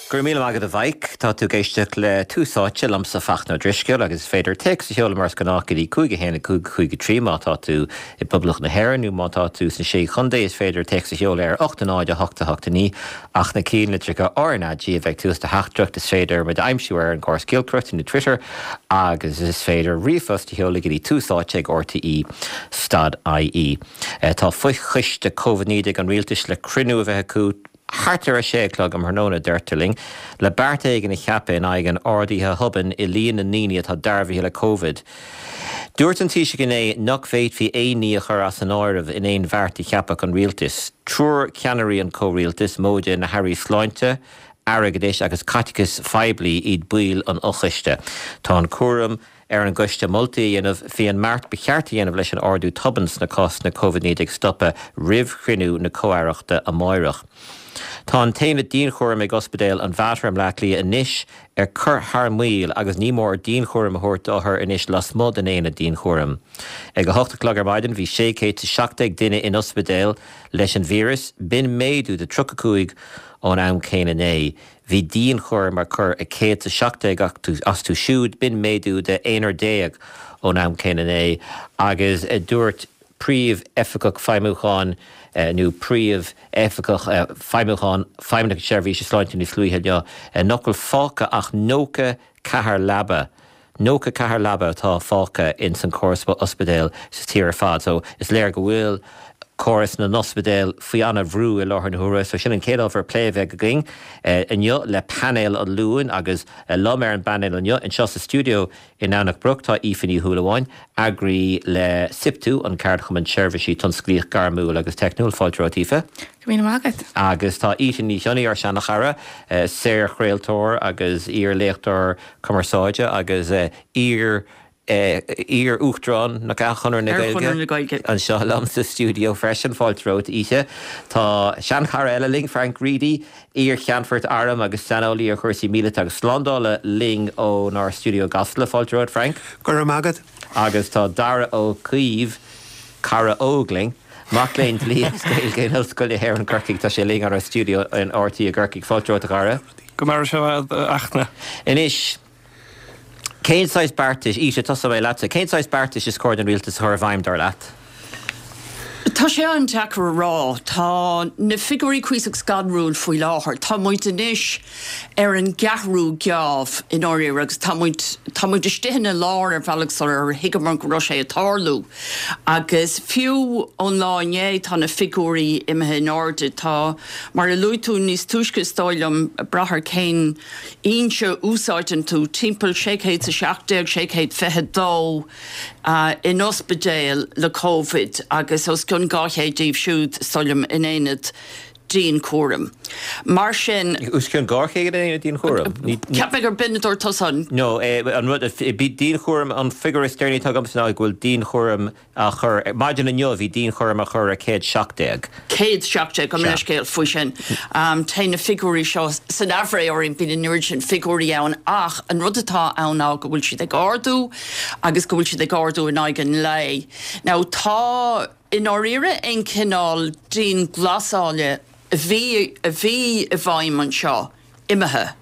Go raibh míle maith agat a Mhaidhc. Tá tú ag éisteacht le Tús Áite liomsa Fachtna Ó Drisceoil agus is féidir téacs a sheoladh mar is gnách go dtí 5 1 5 5 3 má tá tú i bPoblacht na hÉireann nó má tá tú sna Sé Chontae is féidir téacs a sheoladh ar 8 0 8 8 9 ach na cinnlitreacha RnaG a bheith ag tús do theachtaireacht is féidir muid a aimsiú ar an gcóras giolcaireachta nó Twitter agus is féidir ríomhphost a sheoladh go dtí Tús Áite ag RTÉ stad IE. Tá fochoiste Covid-19 an Rialtais le cruinniú a bheith acu Thart ar a sé a chlog um thráthnóna, deirtear linn, le beart éigin a cheapadh in aghaidh an ardaithe thobainn i líon na ndaoine atá dearbhaithe le Covid. Dúirt an Taoiseach inné nach bhféadfaí aon ní a chur as an áireamh in aon bheart a cheapfadh an rialtas. Triúr ceannairí an chomhrialtais, móide na hairí sláinte, airgeadais agus caiteachais phoiblí iad baill an fhochoiste. Tá an cúram ar an gcoiste moltaí a dhéanamh faoi an mbeart ba cheart a dhéanamh leis an ardú tobann sna cásanna Covid-19 a stopadh roimh chruinniú na Comh-Aireachta amáireach. Tá an t-aonad dianchúraim ag Ospidéal an Mhater i mBleá Cliath anois ar cur thar maoil agus ní mór dianchúram a thabhairt d'othair anois lasmuigh den aonad dianchúraim. Ag 8 a chlog ar maidin bhí 617 duine in ospidéal leis an víreas, b'in méadú de 35 ón am céanna inné. Bhí dianchúram á chur ar 117 astu siúd, b'in méadú de aonar déag ón am céanna inné, agus dúirt Príomh-Oifigeach Feidhmiúcháin nó Príomh-Oifigeach Feidhmiúcháin Feidhmeannacht na Seirbhíse Sláinte níos luaithe inniu nach bhfuil fágtha ach 94 leaba 94 leaba atá fágtha ins an córas ospidéal sa tír ar fad so is léir go bhfuil córas na n-ospidéal faoi an-bhrú i láthair na huaire. So sin an chéad ábhar plé a bheidh againn inniu le painéal an Luain agus liom ar an bpainéal inniu anseo sa stiúideo i nDomhnach Broc tá Aoife Ní Shúilleabháin, eagraí le SIPTU, an Ceardchumann Seirbhísí Tionsclaíoch Gairmiúil agus Teicniúil. Fáilte romhat Aoife. Go raibh míle maith agat. Agus tá Ita Ní Chionnaith, ár seana-chara, saorchraoltóir agus iar-léachtóir Cumarsáide agus iar iar-Uachtarán nach ea, Chonradh na Gaeilge Chonradh na Gaeilge. anseo liom sa stiúideo freisin. Fáilte romhat, Ita. Tá seanchara eile linn, Frank Reidy, iar-cheannfort airm agus saineolaí ar chúrsaí míleata agus slándála, linn ónár stiúideo i gCasla. Fáilte romhat, Frank. Go raibh maith agat. Agus tá Dara Ó Caoimh, cara óg linn, mac léinn dlí agus Gaeilge in Ollscoil na hÉireann, Corcaigh. Tá sé linn ónár stiúideo in RTÉ i gCorcaigh. Fáilte romhat, a Dhara. Go maire sé a Fhachtna. Anois, cén saghas beartais, Ita, tosóidh mé leatsa, cén saghas beartais is cóir don rialtas a chur i bhfeidhm, dar leat? Tá sé an-deacair a rá. Tá na figiúirí cuíosach scanrúil faoi láthair. Tá muid anois ar an gceathrú geábh i ndáiríre agus tá muid, tá muid istigh ina lár ar bhealach sular thuigeamar go raibh sé ag tarlú. Agus fiú ón lá inné tá na figiúirí imithe in airde. Tá. Mar a luaigh tú níos túisce, is dóigh liom, ag brath ar cén fhoinse a úsáideann tú, timpeall 617, 622 in ospidéil le Covid agus os cionn 200 díobh siúd, is dóigh liom, in aonad dianchúraim. Mar sin. Os cionn 200 in aonad dianchúraim? Cheap mé gur b'in a dúirt tusa. No, an rud, dianchúram, an figiúr is deireanaí atá agamsa ná go bhfuil dianchúram á chur, maidin inniu bhí dianchúram á chur ar 117. 117, gabh mo leithscéal faoi sin. Téann na figiúirí seo san aimhréidh orainn, bíonn an oiread sin figiúirí ann ach an rud atá ann ná go bhfuil siad ag ardú agus go bhfuil siad ag ardú in aghaidh an lae. Now tá, i ndáiríre, aon chineál dianghlasála a bhí, a bhí i bhfeidhm anseo, imithe.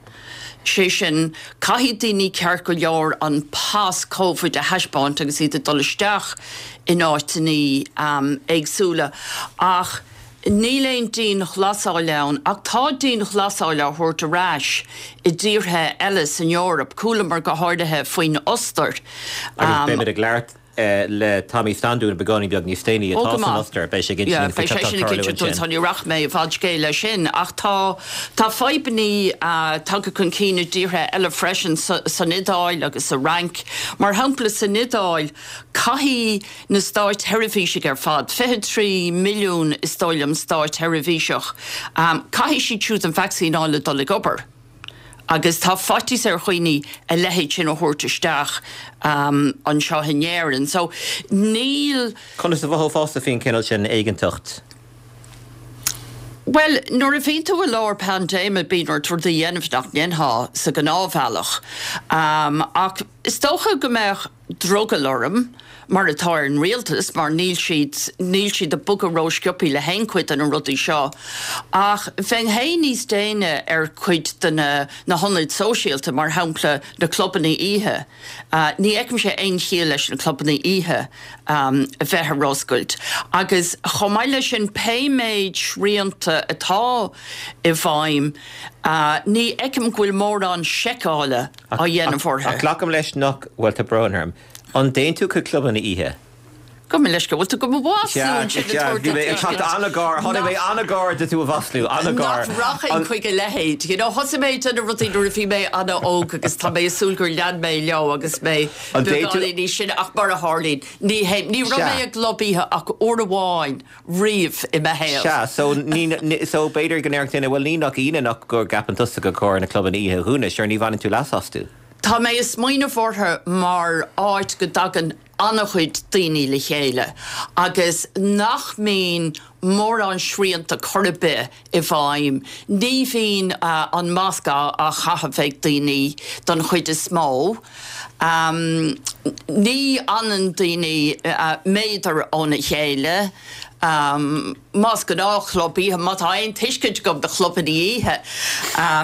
Sé sin, caithfidh daoine ceart go leor an pas Covid a thaispeáint agus iad ag dul isteach in áiteanna éagsúla ach níl aon dianghlasáil ann. Ach tá dianghlasáil á thabhairt ar ais i dtíortha eile san Eoraip. Chualamar go háirithe faoin Ostair. Agus beimid ag labhairt le Tommy Standún beagáinín beag níos déanaí, atá san Ostair. Beidh sé ag insint dúinn faoi cad tá ag tarlú ansin. Tá, ní rachaidh mé i bhfad scéil leis sin, ach tá tá fadhbanna tagtha chun cinn i dtíortha eile freisin, san Iodáil agus sa Fhrainc. Mar shampla, san Iodáil, caithfidh na stáitsheirbhísigh ar fad, 23 milliún is dóigh liom stáitsheirbhíseach, caithfidh siad siúd an vacsaín a fháil le dul ag obair. Agus tá faitíos ar dhaoine a leithéid sin a thabhairt isteach anseo in Éirinn. So, níl. Conas a mhothófása faoin chineál sin éiginnteacht? Bhuel, nuair a bhíonn tú i lár paindéime bíonn ort rudaí a dhéanamh nach ndéanfá sa ghnáthbhealach. Ach is dócha go mbeadh drogall orm. mar atá ar an rialtas, mar níl siad, níl siad ag bogadh ró-sciobthaí le haon chuid de na rudaí seo. Ach bheinn féin níos déine ar chuid de na, na hionaid sóisialta, mar shampla na clubanna oíche. Ní fheicimse aon chiall leis na clubanna oíche a bheith ar oscailt. Agus chomh maith leis sin, pé méid srianta atá i bhfeidhm, ní fheicim go bhfuil mórán seiceála á dhéanamh orthu. Ach glacaim leis nach, bhuel, tá brón orm. An dtéann tú chuig clubanna oíche? Gabh mo leithscéal, bhfuil tú go mo mhaslú ansin ag tabhairt Bhí mé ag teacht an-ghar, tháinig mé an-ghar do tú a mhaslú, an-ghar. Nach rachainn chuig a leithéid. You know, thosaigh mé ag déanamh rudaí nuair a bhí mé an-óg agus tá mé ag súil gur lean mé leo agus mé beagáinín níos sine ach mar a tharlaíonn, ní théim. Ní raibh mé i gclub oíche ach uair amháin riamh i mo shaol. Sea, so ní, so b'fhéidir go ndéarfadh duine, bhuel ní nach ionadh nach go gceapann tusa gur chóir na clubanna oíche a dhúnadh, sure ní bhaineann tú leas astu. Tá mé ag smaoineamh orthu mar áit go dtagann an-chuid daoine le chéile agus nach mbíonn mórán srianta chor ar bith i bhfeidhm. Ní bhíonn an masc á chaitheamh ag daoine don chuid is mó. Ní fhanann daoine méadar óna chéile. Más gnáthchlub oíche, má tá aon tuiscint agam do chlubanna oíche,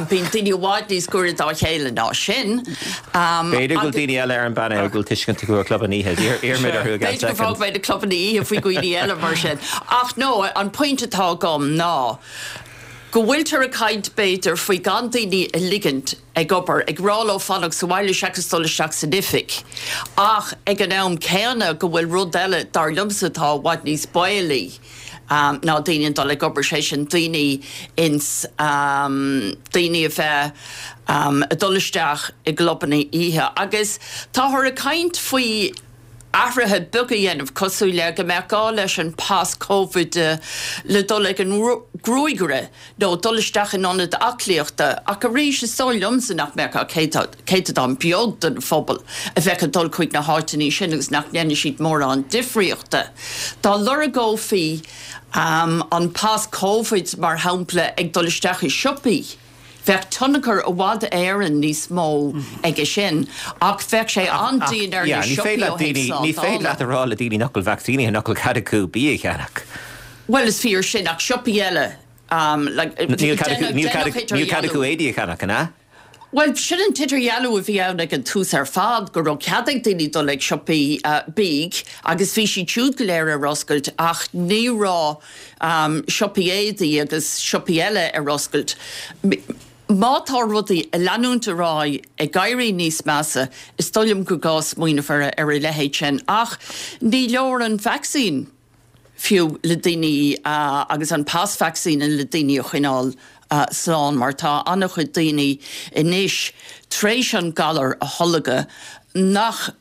bíonn daoine i bhfad níos gaire dá chéile ná sin. B'fhéidir go bhfuil daoine eile ar an bpainéal go bhfuil tuiscint acu ar chlubanna oíche. Iarrfaimid orthu i gceann soicind. B'fhéidir go bhfágfaidh mé na clubanna oíche faoi dhaoine eile mar sin. Ach no, an pointe atá agam ná go bhfuiltear ag caint b'fhéidir faoi gan daoine a ligint ag obair, ag rá leo fanacht sa bhaile seachas dul isteach san oifig, ach ag an am céanna go bhfuil rud eile, dar liomsa, atá i bhfad níos baolaí ná daoine ag dul ag obair, sé sin daoine ins, daoine a bheith ag dul isteach i gclubanna oíche. Agus táthar ag caint faoi athruithe beaga a dhéanamh, cosúil le go mbeadh gá leis an pas Covid le dul ag an ngruagaire nó dul isteach in ionad aclaíochta, ach arís, is dóigh liomsa nach mbeadh ach céatadán beag den phobal a bheadh ag dul chuig na háiteanna sin agus nach ndéanfaidh siad mórán difríochta. Dá lorgófaí an pas Covid, mar shampla, ag dul isteach i siopaí, Bheadh tionchar i bhfad Éireann níos mó aige sin, ach bheadh sé an-dian ar na siopaí ó thaobh slándála. Ní féidir leat a rá le daoine nach bhfuil vacsaínithe nach bhfuil cead acu bia a cheannach. Bhuel, is fíor sin, ach siopaí eile, like, Níl cead acu éadaí a cheannach, an ea? Bhuel, sin an t-idirdhealú a bhí ann ag an tús ar fad, go raibh cead ag daoine dul ag siopaí bídh agus bhí siad siúd go léir ar oscailt ach ní raibh siopaí éadaí agus siopaí eile ar oscailt. Má tá rudaí ag leanúint ar aghaidh ag éirí níos measa, is dóigh liom gur gá smaoineamh ar a leithéid sin. Ach ní leor an vacsaín fiú le daoine agus an pas vacsaíne le daoine a choinneáil slán mar tá an-chuid daoine anois tar éis an galar a tholgadh nach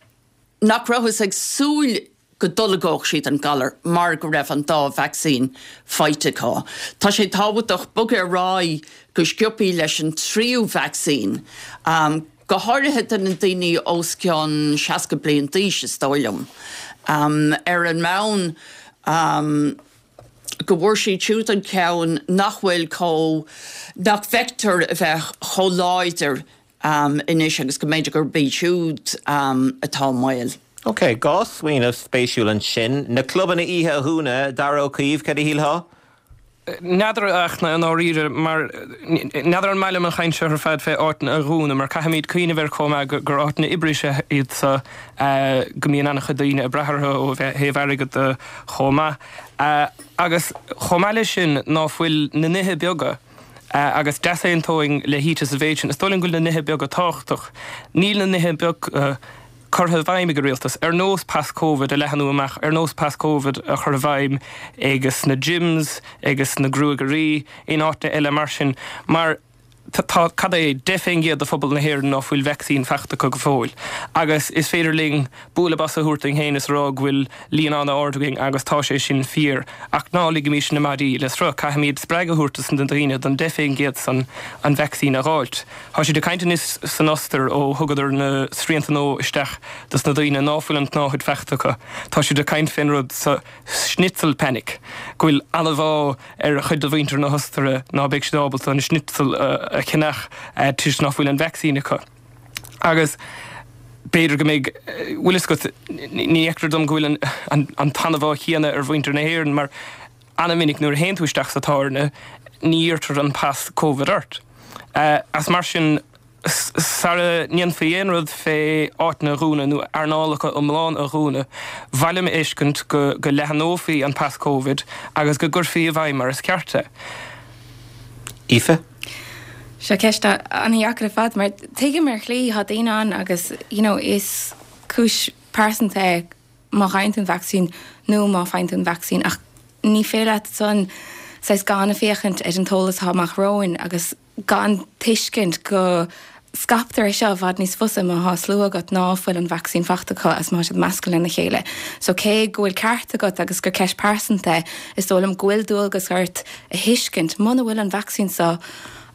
nach rabhthas ag súil go dtolgódh siad an galar mar go raibh an dá vacsaín faighte acu. Tá sé tábhachtach bogadh ar aghaidh go sciobthaí leis an tríú vacsaín, go háirithe do na daoine os cionn 60 bliain d'aois, is dóigh liom. Ar an mbonn go bhfuair siad siúd an ceann nach bhfuil chomh, nach bhfeictear a bheith chomh láidir anois agus go mb'fhéidir gurb iad siúd atá i mbaol. Ok, 2 smaoineamh spéisiúil ansin. Na clubanna oíche a dhúnadh, Dara Ó Caoimh, cad a shílfeá? N'fheadar a Fhachtna, i ndáiríre, mar n'fheadar an maith liom an chaint seo ar fad fé áiteanna a dhúnadh, mar caithfimid cuimhneamh air chomh maith gur áiteanna oibre is ea iad so, go mbíonn an-chuid daoine ag brath orthu ó thaobh airgead de chomh maith. Agus chomh maith leis sin, ná fuil na nithe beaga, agus d'easaontóinn le hÍte sa mhéid sin, is dóigh liom go bhfuil na nithe beaga tábhachtach. Níl na nithe beaga curtha i bhfeidhm ag an rialtas, ar nós pas Covid a leathnú amach, ar nós pas Covid a chur i bhfeidhm agus na gyms, agus na gruagairí, in áiteanna eile mar sin, mar tá, cad é, 10% de phobal na hÉireann ná fuil vacsaín faighte acu go fóill. Agus is féidir linn bualadh bos a thabhairt dúinn féin is a rá go bhfuil líon an-ard againn agus tá sé sin fíor, ach ná ligimis na maidí le sruth. Caithfimid spreagadh a thabhairt dos na daoine, don 10% san, an vacsaín a dh'fháilt. Tá siad ag caint anois san Ostair ó thugadar na srianta nua isteach dos na daoine ná fuil an tsnáthaid faighte acu. Tá siad ag caint fén rud so, schnitzel panic, go bhfuil an-bhá ar chuid de mhuintir na hOstaire ná beidh siad ábalta an schnitzel a cheannach toisc ná fuil an vacsaín acu. Agus. B'fhéidir go mbeidh, bhfuil fhios agat, ní fheictear dom go bhfuil an t-anbhá chéanna ar mhuintir na hÉireann mar an-mhinic nuair a théann tú isteach sa tábhairne ní iarrtar an pas Covid ort. As mar sin, sara ndéanfaí aon rud fé áiteanna a dhúnadh nó earnálacha iomlán a dhúnadh, b'mhaith liom a fheiscint go leathanófaí an pas Covid agus go gcuirfí i bhfeidhm mar is ceart é. Aoife? Seo ceist an-dheacair ar fad mar tuigim ar shlí, tá daoine ann agus you know is cúis pearsanta é má fhaigheann tú an vacsaín nó má faigheann tú an vacsaín ach ní féidir leat ansan saghas gan a féachaint ar an t-eolas atá amach romhainn agus gan tuiscint go scaiptear é seo i bhfad níos fusa má thá slua agat ná fuil an vacsaín fachta acu agus má tá siad measctha lena chéile. So cé go bhfuil ceart agat agus gur ceist pearsanta é, is dóigh liom go bhfuil dualgas ort a thuiscint muna bhfuil an vacsaín seo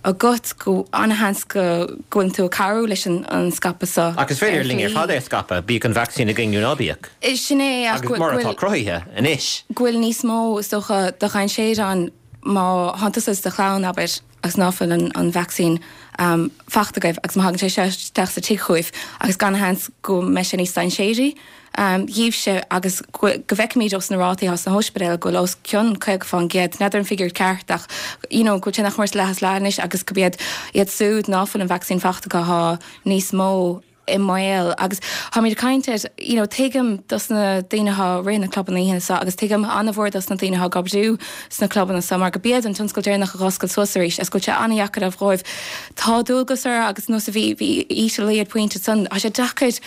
agat go an-sheans go bhfuil tú ag cabhrú leis an scaipeadh seo Ach is féidir linn ar fad é a scaipeadh, bíodh an vacsaín againn nó ná bíodh. Sin é ach go Agus mar atá cruthaithe anois. go bhfuil níos mó is dócha de dhainséar ann má thánn tusa is do chlann, abair. agus ná fuil an vacsaín fachta agaibh agus má thagann sé seo isteach sa tigh chugaibh agus an-sheans go mbeidh sé níos dainséaraí dhaoibhse agus go bhfeicimid ós na rátaí atá sna hóispidéil go bhfuil os cionn 50%, n'fheadar an figiúr ceart ach you know go bhfuil sé nach mór leath is leath anois agus go b'iad iad súd ná fuil an vacsaín fachta acu atá níos mó i mbaol agus táimid ag caint ar you know tuigim dos na daoine atá ag rith na clubanna oíche seo agus tuigim an-mhór dos na daoine atá ag oibriú sna clubanna seo mar go b'iad an tionscal deireanach a dh'oscail suas arís agus go bhfuil sé an-dheacair dhóibh. Tá dualgas orthu agus nós a bhí bhí Aoife ag pointe ansan tá sé deacair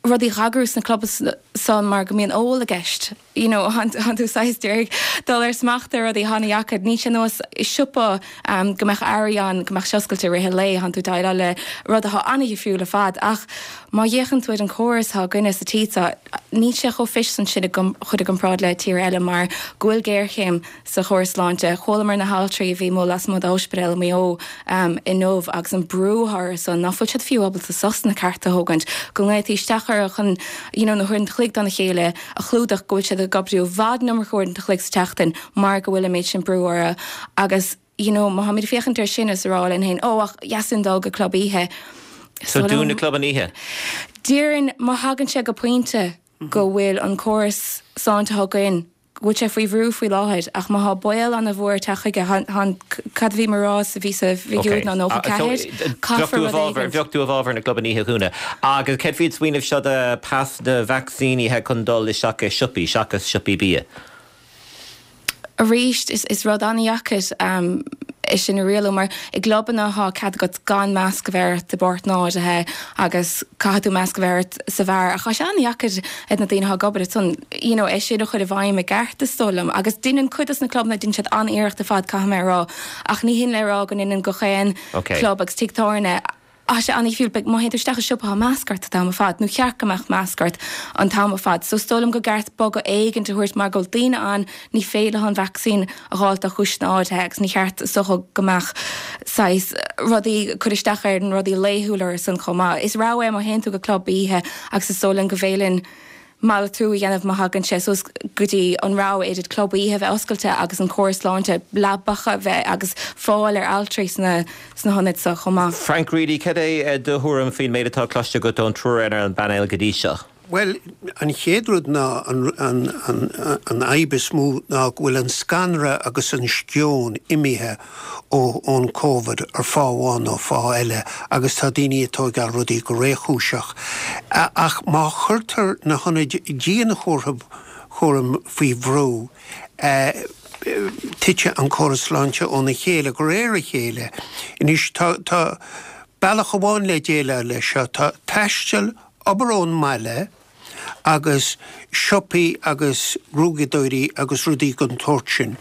rudaí a dh'eagrú sna clubanna seo mar go mbíonn ól i gceist. you know thánn tú saghas d'iarraidh dul ar smacht ar rudaí an-dheacair. Níl sé ar nós siopa go mbeadh earraí ann go mbeadh sé oscailte i rith an lae, thánn tú ag déileáil le rud atá an-dhifriúil ar fad. Ach má fhéachann tú ar an córas atá againne sa tír seo, níl sé chomh fuist san sin a chur i gcomparáid le tíortha eile mar go bhfuil géarchéim sa chóras sláinte. Chualamar na haltraí a bhí amuigh lasmuigh d'ospidéal i Maigh Eo inniu agus an brú atá orthu san, ná fuil siad fiú ábalta sosanna cearta a thógaint, go nglaotaí isteach orthu chun you know na huaireanta a chloig dona chéile a chlúdach, go bhfuil siad ag oibriú i bhfad an iomarca uaireanta a chloig sa tseachtain mar go bhfuil an méid sin brú orthu agus you know má tháimid ag féachaint air sin is a rá linn féin, oh ach dheas linn dul go club oíche. So dún na clubanna oíche? Déarfainn má thagann sé go pointe go bhfuil an córas sláinte atá againn, go bhfuil sé faoi bhrú faoi láthair ach má thá baol ana-mhór ag teacht chuige, thá an, cad a bhí mé a rá sa bhí sa bhfigiúr ná 94, caithfear rud éigin. Bheadh tú i bhfabhar na gclubanna oíche a dhúnadh. Agus céard faoin smaoineamh seo de pas na vacsaínithe chun dul isteach i siopaí seachas siopaí bia? Arís, is rud an-dheacair é sin a rialú mar i gclubanna thá cead agat gan masc a bheith ort i bpáirteanna áirithe agus caithfidh tú masc a bheith ort sa bheár ach tá sé an-dheacair ag na daoine atá ag obair ansan you know é sin a chur i bhfeidhm i gceart is dóigh liom agus deineann cuid dos na clubanna deineann siad an-iarracht ar fad caithfidh mé a rá ach ní hin le rá go ndeineann gach aon club agus tigh tábhairne Tá sé an-difriúil, beidh, má théann tú isteach i siopa tá masc ort an t-am ar fad, nó cheart go mbeadh masc ort an t-am ar fad. So is dóigh liom go gceart bogadh éigint a thabhairt mar go bhfuil daoine ann ní féidir leo an vacsaín a dh'fháilt do chúiseanna áirithe agus ní cheart is dócha go mbeadh saghas rudaí cur isteach ar na rudaí laethúil orthu san chomh maith. Is rogha é má théann tú go club oíche agus is dóigh liom go bhféadfainn malartú a dhéanamh má thagann sé suas go dtí an rogha idir club oíche a bheith oscailte agus an córas sláinte leabacha a bheith agus fáil ar altraí sna sna hionaid seo chomh maith. Frank Reidy, cad é do thuairim faoin méid atá cloiste agat ón triúr ar an bpainéal go dtí seo? Bhuel, an chéad rud ná an fhadhb is mó ná go bhfuil an scanradh agus an sceon imithe ón Covid ar fáth amháin nó fáth eile agus tá daoine ag tóigeáil rudaí go réchúiseach. Ach má chuirtear na hionaid dianchúraim faoi bhrú, titfidh an córas sláinte óna chéile de réir a chéile. Anois tá bealach amháin le déileáil leis seo, tá taisteal, obair ón mbaile, agus siopaí agus gruaigeadóirí agus rudaí den tsórt sin.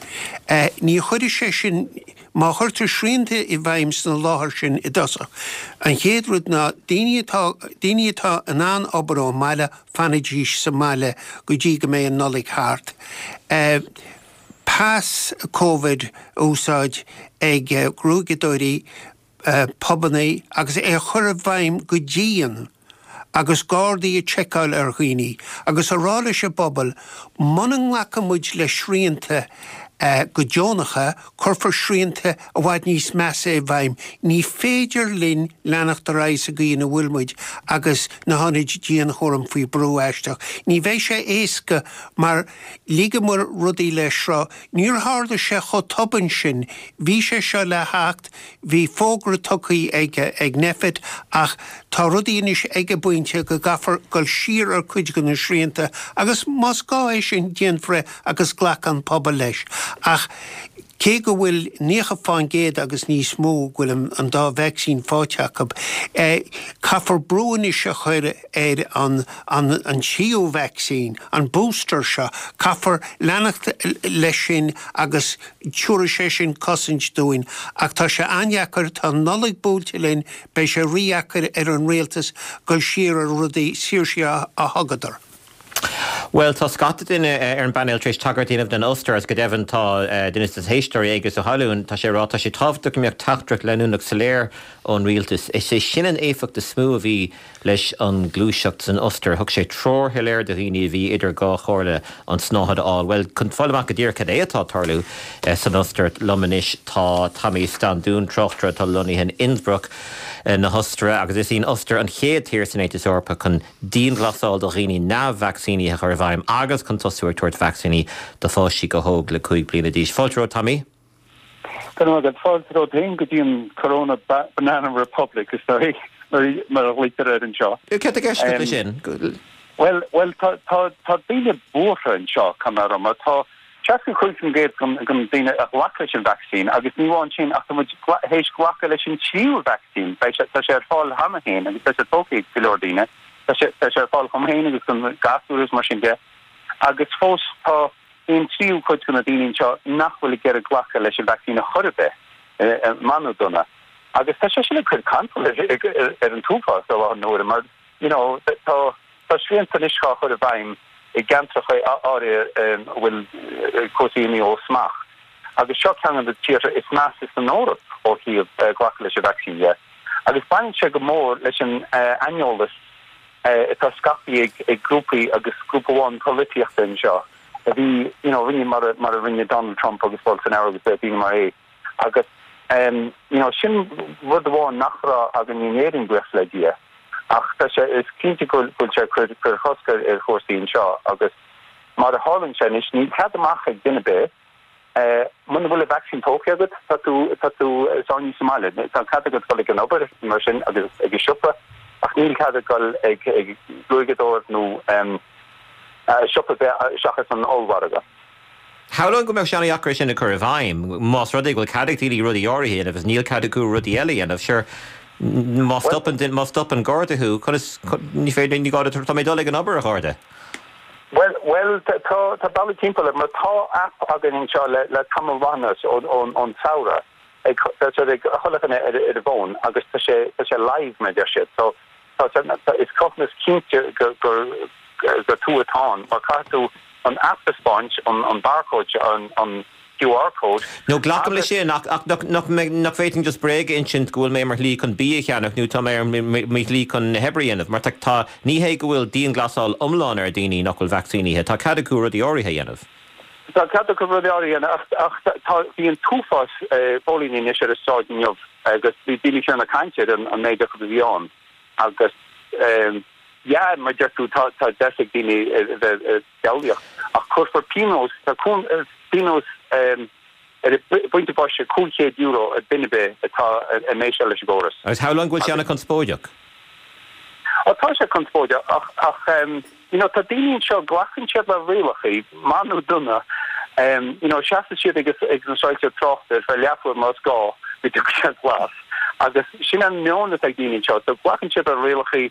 Ní chuirfidh sé sin, má chuirtear srianta i bhfeidhm sna láthair sin i dtosach, an chéad rud ná daoine atá, daoine atá in ann obair ón mbaile, fanaidís sa mbaile go dtí go mbeidh an Nollaig thart. Pas Covid a úsáid ag gruaigeadóirí, pubannaí agus é a chur i bhfeidhm go dian agus gardaí ag tseiceáil ar dhaoine agus a rá leis an bpobal muna nglacann muid le srianta. Go deonacha, cuirfear srianta i bhfad níos measa i bhfeidhm. Ní féidir linn leanacht ar aghaidh sa gcaoi ina bhfuil muid agus na hionaid dianchúraim faoi brú aisteach. Ní bheidh sé éasca mar ligeamar rudaí le sruth. Níor tharla sé chomh tobann sin. Bhí sé seo le theacht, bhí fógra tugtha ag ag Nphet ach tá rudaí anois ag an bpointe go gcaithfear dul siar ar cuid de na srianta agus más gá é sin déanfar é agus glacfaidh an pobal leis. Ach cé go bhfuil 90% agus níos mó go bhfuil an dá vacsaín faighte acu, caithfear brú anois a chur ar an an tríú vacsaín, an booster seo, caithfear leanacht leis sin agus tabharfaidh sé sin cosaint dúinn. Ach tá sé an-deacair, tá an Nollaig buailte linn, beidh sé rídheacair ar an rialtas dul siar ar rudaí, saoirsí a thugadar. Bhuel, tá scata duine ar an bpainéal tar éis tagairt a dhéanamh don Ostair agus go deimhin tá duine de na héisteoirí, Aengus Ó hAlúin, tá sé ag rá, tá sé tábhachtach go mbeadh teachtaireacht leanúnach soiléir ón rialtas. Is é sin an éifeacht is mó a bhí leis an gluaiseacht san Ostair. Thug sé treoir shoiléir do dhaoine a bhí idir dhá chomhairle an tsnáthaid a fháil. Bhuel, chun fáil amach go díreach cad é atá ag tarlú san Ostair, liom anois tá Tommy Standún, tráchtaire atá lonnaithe in Innsbruck na hOstaire agus is í an Ostair an chéad tír san Aontas Eorpach chun dianghlasáil do dhaoine neamh-vacsaínithe a chur i bhfeidhm agus chun tosú ag tabhairt vacsaíní do pháistí chomh hóg le 5 bliana d'aois. Fáilte romhat, Tommy. Go raibh maith agat. Fáilte romhat féin go dtí an Corona Banana Republic, is dóigh, mar a ghlaoitear air anseo. Céard atá i gceist agat leis sin? Bhuel, bhuel, tá, tá, tá daoine buartha anseo, caithfidh mé a rá, mar tá 65% den daoine a ghlac leis an vacsaín agus ní amháin sin ach tá muid théis glacadh leis an tríú vacsaín. Beidh sé, tá sé ar fáil cheana féin agus tá sé tógtha ag go leor daoine. Tá sé, tá sé ar fáil dhom féin agus don gasúr agus mar sin de. Agus fós tá aon tríú cuid de na daoine anseo nach bhfuil ag iarraidh glacadh leis an vacsaín a chor ar bith, maith nó dona. Agus tá sé sin ag cur cantal ar, ar, ar an t-uafás i láthair na huaire mar, you know, tá, Tá srianta anois á chur i bhfeidhm i gceantracha áirithe a bhfuil cúrsaí imithe ó smacht agus seo ceann de na tíortha is measa san Eoraip ó thaobh glacadh leis an vacsaín de. Agus baineann sé go mór leis an aineolas atá scaipthe ag grúpaí agus grúpa amháin polaitíochta anseo a bhí, you know, rinne mar a rinne Donald Trump agus Bolsonaro agus daoine mar é. Agus you know sin rud amháin nach raibh againn in Éirinn, buíochas le Dia. Ach tá sé, is cinnte go bhfuil sé ag cur cur chosc ar ar chúrsaí anseo agus mar a tharlaíonn sé anois, níl cead amach ag duine ar bith. Muna bhfuil an vacsaín tógtha agat, tá tú, tá tú sáinnithe sa mbaile. Tá cead agat dul ag an obair mar sin agus ag an siopa ach níl cead ag dul ag ag gruaigeadóir nó siopa ar bith seachas an ollmhargadh. Shamhlóinn go mbeadh sé an-dheacair é sin a chur i bhfeidhm. Más rud é go bhfuil cead ag daoine rudaí áirithe a dhéanamh agus níl cead acu rudaí eile a dhéanamh, sure, má stopann, má stopann garda thú, conas, ní féidir, ní gá duit, tá mé ag dul ag an obair, a gharda. Bhuel, bhuel, tá, tá bealaí timpeall air, mar tá aip againn anseo le, le tamall maith anuas, ón, ón, ón samhradh, ag, tá sé ag chuile dhuine ar, ar a bhfón agus tá sé, tá sé live, mar a deir siad. So, Tá sé, is cruthúnas cinnte gur gur tú atá ann, mar caithfidh tú an aip a 'speáint, an barcode, an QR code. No, glacaim leis sin, ach ach nach nach nach bhféadfainn just bréag a insint go bhfuil mé ar mo shlí chun bia a cheannach nó tá mé ar mo shlí chun na hoibre a dhéanamh, mar tá tá ní hé go bhfuil dianghlasáil iomlán ar dhaoine nach bhfuil vacsaínithe, tá cead acu rudaí áirithe a dhéanamh. Tá cead acu rudaí áirithe a dhéanamh ach ach tá bhí an t-uafás póilíní anois ar an sráid inniu agus bhí daoine fiú ag caint ar an méid acu a bhí ann agus yeah mar deir tú tá tá deis ag daoine a bheith ag diabhlaíocht ach cuirfear pionós tá pionós ar an bpointe boise €500 ar duine ar bith atá ag meiseáil leis an gcóras. Agus shamhlóinn go bhfuil sé an-chonspóideach. Ó tá sé conspóideach ach ach you know tá daoine anseo glacann siad le rialacha, maith nó dona, you know seasann siad ag ag na soilse tráchta ar feadh leathuair más gá go dtiocfaidh siad glas agus sin an meon atá ag daoine anseo so glacann siad le rialacha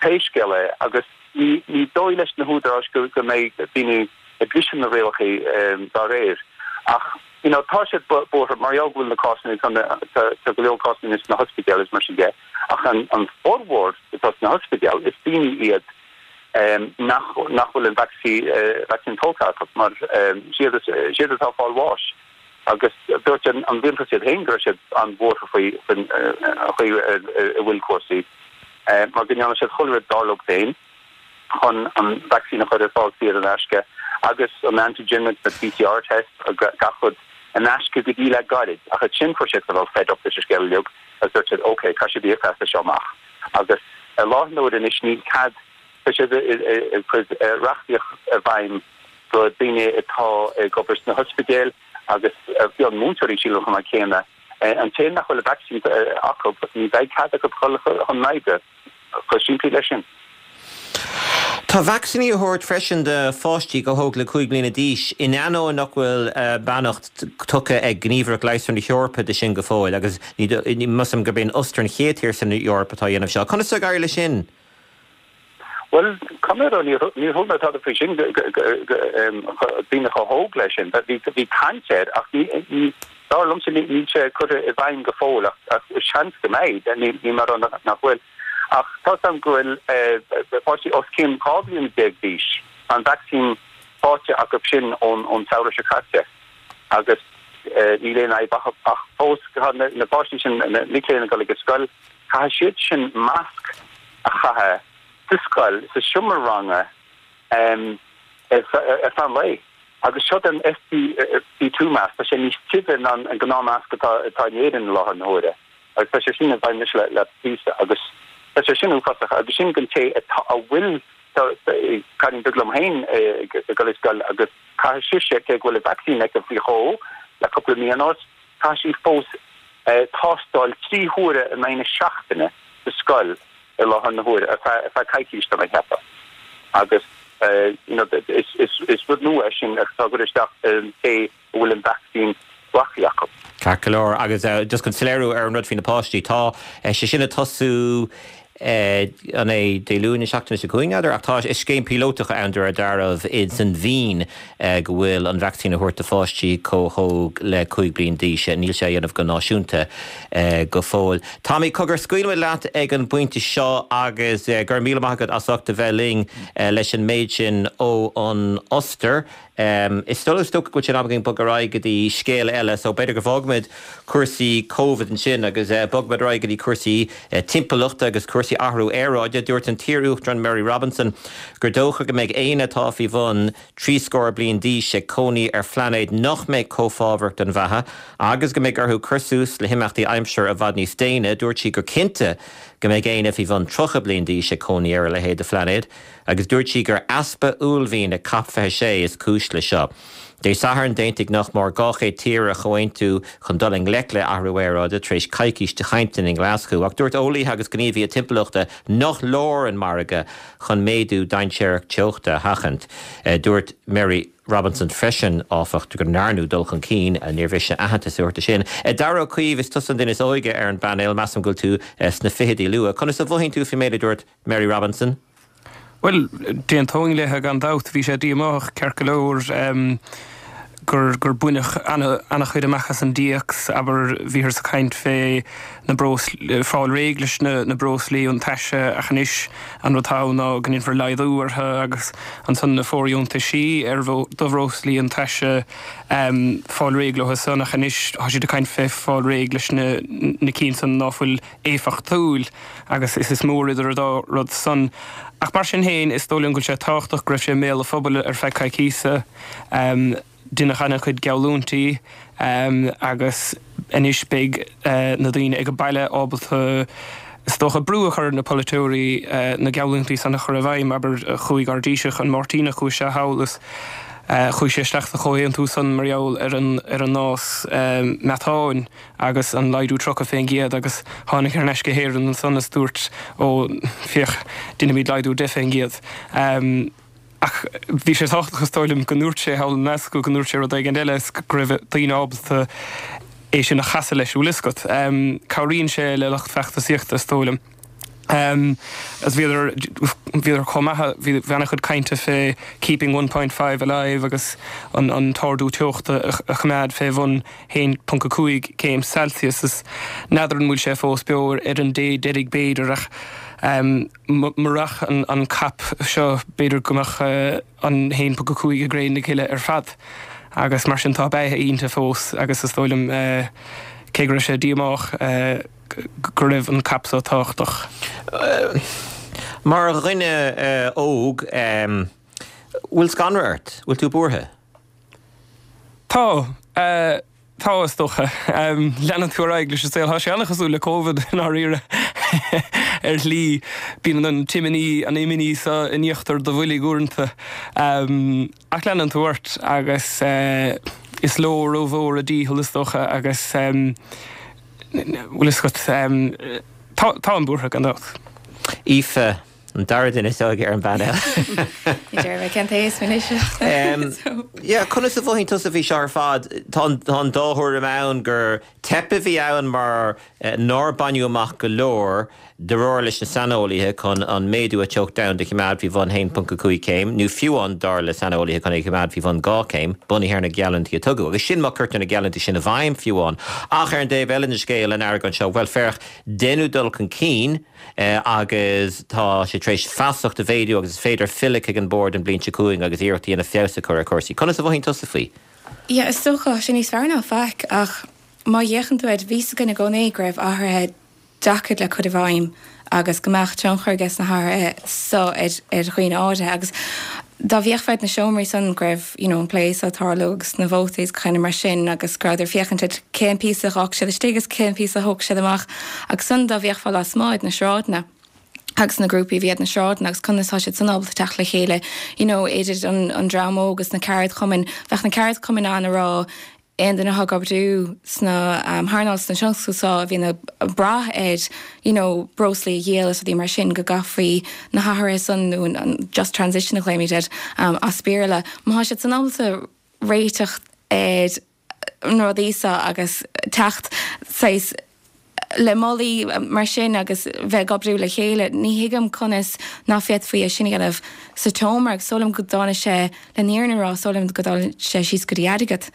pé scéal é agus ní ní dóigh leis na húdaráis go go mbeidh daoine ag briseadh na rialacha dá réir ach you know tá siad buartha mar gheall go bhfuil na cásanna tá tá tá go leor cásanna anois sna hospidéil agus mar sin de ach an an formhór atá sna hospidéil is daoine iad nach nach bhfuil an vacsaín tógtha acu mar siad siad atá ag fáil bháis. Agus dúirt an rialtas iad féin go raibh siad an-bhuartha faoi faoin chaoi a bhfuil cúrsaí, mar go ndearna siad chuile rud dar leo féin chun an vacsaín a chur ar fáil saor in aisce. agus an antigen agus na PCR test agus gach rud in aisce go dtí le gairid. Ach ansin fuair siad cineál fed up leis an scéal uilig agus dúirt siad ok, caithfidh sibh íoc as seo amach. Agus i láthair na huaire anois níl cead, tá siad ag cur reachtaíocht i bhfeidhm do daoine atá ag obair sna hospidéil agus fiú an múinteoirí sílim chomh maith céanna, an té nach bhfuil an vacsaín acu ní bheidh cead acu dul chun na hoibre. Chomh simplí leis sin. Tá vacsaíní á thabhairt freisin do pháistí chomh hóg le 5 bliana d'aois, in ainneoin nach bhfuil beannacht tugtha ag Gníomhaireacht Leigheasra na hEorpa de sin go fóill, agus measaim gurb é an Ostair an chéad tír san Eoraip atá á dhéanamh seo. Conas ar éirigh leis sin? Bhuel, caithfidh mé a rá, níor chuala mé tada faoi sin, daoine chomh hóg leis sin. Bhí caint air ach ní, dar liomsa, níl sé curtha i bhfeidhm go fóill ach seans go mbeidh, níl mé ag rá nach bhfuil. Ach tá 's agam go bhfuil páistí os cionn 12 bliana d'aois, tá an vacsaín faighte acu sin ón samhradh seo caite agus níl aon fhadhb acu. Ach fós, tá na páistí sin, na mic léinn ag dul ag an scoil, caithfidh siad sin masc a chaitheamh sa scoil, sa seomra ranga ar feadh an lae. Agus seo an FFP2 mask, tá sé níos tibhe ná an gnáthmasc atá in Éirinn i láthair na huaire. Agus tá sé sin i bhfeidhm anois le píosa agus tá sé sin uafásach agus sin don té atá a bhfuil tá cailín beag liom féin ag dul ar scoil agus caithfidh sise cé go bhfuil an vacsaín aici faoi dhó le cúpla mí anuas caithfidh sí fós tástáil 3 huaire in aghaidh na seachtaine sa scoil i láthair na huaire ar feadh ar feadh coicís tá mé ag ceapadh agus you know is is is rud nua é sin atá á chur isteach ar an té a bhfuil an vacsaín glactha acu. Ceart go leor. Agus just chun soiléiriú ar an rud faoi na páistí, tá sé sin ag tosú an é Dé Luain na seachtaine seo chugainn, n'fheadar, ach tá is scéim píolótach ann de réir dealraimh ins an Vín go bhfuil an vacsaín á thabhairt do pháistí chomh hóg le 5 bliain d'aois. Níl sé á dhéanamh go náisiúnta go fóill. Tommy, cogar, scaoilfimid leat ag an bpointe seo agus go raibh míle maith agat as ucht a bheith linn leis an méid sin ó an Ostair. Is dóigh is dócha go bhfuil sé in am againn bogadh ar aghaidh go dtí scéal eile so b'fhéidir go bhfágfaimid cúrsaí Covid ansin agus bogfaimid ar aghaidh go dtí cúrsaí timpeallachta agus cúrsaí athrú aeráide. Dúirt an t-iar-uachtarán Mary Robinson gur dócha go mbeidh éinne atá faoi bhun 30 scór bliain d'aois ag cónaí ar phlainéad nach mbeidh chomh fábharach don bheatha agus go mbeidh orthu cur suas le himeachtaí aimsire i bhfad níos déine. Dúirt sí gur cinnte go mbeidh éinne faoi bhun 30 bliain d'aois ag cónaí ar a leithéid de phlainéad. Agus dúirt sí gur easpa uaillmhian ag Cop 26 is cúis le seo. Dé Sathairn, d'aontaigh nach mór 200 tír ar chomhaontú chun dul i ngleic le athrú aeráide tar éis coicís de chainteanna i nGlaschú. Ach dúirt eolaithe agus gníomhaithe timpeallachta nach leor an margadh chun méadú dainséarach teochta a sheachaint. Dúirt Mary Robinson freisin, áfach, go ndearnadh dul chun cinn. Níor mhiste aitheantas a thabhairt do sin. Darragh Ó Caoimh, is tusa an duine is óige ar an bpainéal. Measaim go bhfuil tú sna fichidí luath. Conas a mhothaíonn tú faoin méid a dúirt Mary Robinson? Bhuel, d'aontóinn léithe gan dabht. Bhí sé díomách, ceart go leor, gur gur baineadh ana-chuid amach as an dtéacs. Abair, bhíothas ag caint fé na breos, fáil réidh leis na na breoslaí iontaise ach anois an rud atá ann ná go ndéanfar laghdú orthu agus ansan na fóirdheontaisí ar do bhreoslaí iontaise, fáil réidh leo san ach anois tá siad ag caint fé fáil réidh leis na na cinn san ná fuil éifeachtúil agus is is mór idir an dá rud san. Ach mar sin féin, is dóigh liom go bhfuil sé tábhachtach go raibh sé i mbéal an phobail ar feadh coicíosa. Deineadh ana-chuid geallúintí agus anois beidh na daoine ag an baile ábalta, is dócha, brú a chur ar na polaiteoirí na geallúintí san a chur i bhfeidhm. Abair, chuaigh ár dTaoiseach, an Máirtíneach, chuaigh sé thall is chuaigh sé isteach sa chomhaontú san mar gheall ar an ar an ngás meatáin. agus an laghdú 30% agus tháinig thar n-ais go hÉirinn ansan is dúirt ó féach déanfaimid laghdú 10%. Ach bhí sé tábhachtach is dóigh liom go ndúirt sé thall i nGlaschú go ndúirt sé rud éigin eile is go raibh daoine ábalta é sin a chasadh leis, bhfuil fhios agat. Cabhraíonn sé le lucht feachtasaíochta is dóigh liom. Agus bhíodar, bhíodar chomh maith, bhí ana-chuid cainte fé keeping 1.5 alive agus an an t-ardú teochta a choimeád fé bhun 1.5 céim Celsius is n'fheadar an bhfuil sé fós beo ar an dé deiridh b'fhéidir ach murach an an COP seo b'fhéidir go mbeadh an 1.5 i gcré na cille ar fad agus mar sin tá beatha inti fós agus is dóigh liom cé go raibh sé díomách go raibh an COP seo tábhachtach. Mar dhuine óg. Bhfuil scanradh ort? Bhfuil tú buartha? Tá. Tá, is dócha. Leanann tú ar aghaidh leis an saol. Tá sé an-chosúil le Covid, i ndáiríre, ar shlí. Bíonn an t-imní, an imní seo in íochtar do bhoilg uaireanta. Ach leanann tú ort agus is ló rómhór a dícheall, is dócha, agus bhfuil fhios agat, táim buartha, gan dabht. Aoife, An dara duine is óige ar an bpainéal. Ní déarfaidh mé cén t-aois mé anois. Yeah, conas a mhothaíonn tusa faoi seo ar fad? Tá an dá thuairim ann gur teip a bhí ann mar nár baineadh amach go leor de réir leis na saineolaithe chun an méadú ar teocht domhanda a choimeád faoi bhun 1.5 céim, nó fiú amháin dar le saineolaithe chun é a choimeád faoi bhun 2 céim, bunaithe ar na geallúintí a tugadh. Agus sin má cuirtear na geallúintí sin i bhfeidhm fiú amháin. Ach ar an dtaobh eile den scéal, an argóint seo, bhuel féach, deineadh dul chun cinn, agus tá sé tar éis feasacht a mhéadú agus is féidir filleadh chuig an bord an bhliain seo chugainn agus iarracht a dhéanamh feabhas a chur ar chúrsaí. Conas a mhothaíonn tusa faoi? Yeah, is dócha, tá sé níos fearr ná faic ach má fhéachann tú air, bhí fhios againn i gcónaí go raibh athruithe deacair le cur i bhfeidhm agus go mbeadh tionchar aige sna hathruithe so ar ar dhaoine áirithe agus dá bhféachfá ar na seomraí san go raibh you know an plé so ag tarlú agus na vótaí is gach aon rud mar sin agus go rabhadar ag féachaint ar cén píosa a dh'fhág siad istigh agus cén píosa a thóg siad amach agus san dá bhféachfá lasmuigh ar na sráideanna agus na grúpaí a bhí ar na sráideanna agus conas tá siad san ábalta teacht le chéile you know idir an an dream óg agus na ceardchumainn bheadh na ceardchumainn ann a rá aon duine atá ag oibriú sna hearnáil sna tionscail seo a bhíonn ag brath ar you know breoslaí a dhíol is rudaí mar sin go gcaithfí na hathruithe san nó an just transition a ghlaoimid air as Béarla. Má tá siad san ábalta réiteach ar na rudaí seo agus teacht saghas le moltaí mar sin agus bheith ag oibriú le chéile. Ní thuigim conas ná féadfaí é sin a dhéanamh sa tseomra agus is dóigh liom go dtáinig sé, le fírinne a rá, is dóigh liom go dtáinig sé síos go dtí airgead.